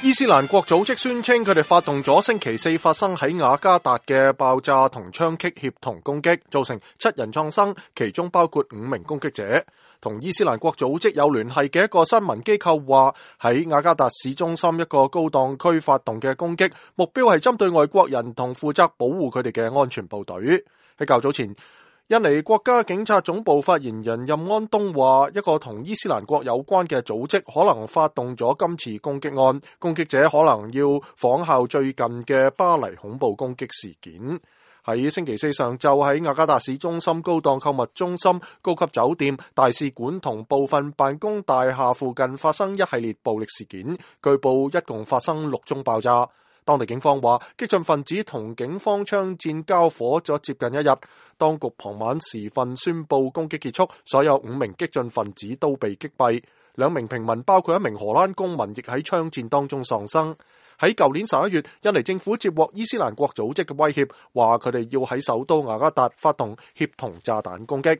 伊斯蘭國組織宣稱佢哋發動咗星期四發生喺雅加達嘅爆炸同槍擊協同攻擊，造成7人喪生，其中包括5名攻擊者。同伊斯蘭國組織有聯繫嘅一個新聞機構話，喺雅加達市中心一個高檔區發動嘅攻擊，目標係針對外國人同負責保護佢哋嘅安全部隊。喺較早前，印尼國家警察總部發言人任安東話，一個同伊斯蘭國有關嘅組織可能發動咗今次攻擊案，攻擊者可能要仿效最近嘅巴黎恐怖攻擊事件。喺星期四上晝，喺雅加達市中心高檔購物中心、高級酒店、大使館同部分辦公大廈附近發生一系列暴力事件，據報一共發生6宗爆炸。當地警方話，激進分子同警方槍戰交火咗接近1日，當局傍晚時分宣布攻擊結束，所有5名激進分子都被擊斃，2名平民包括1名荷蘭公民亦喺槍戰當中喪生。喺舊年11月，印尼政府接獲伊斯蘭國組織嘅威脅，話佢哋要喺首都雅加達發動協同炸彈攻擊。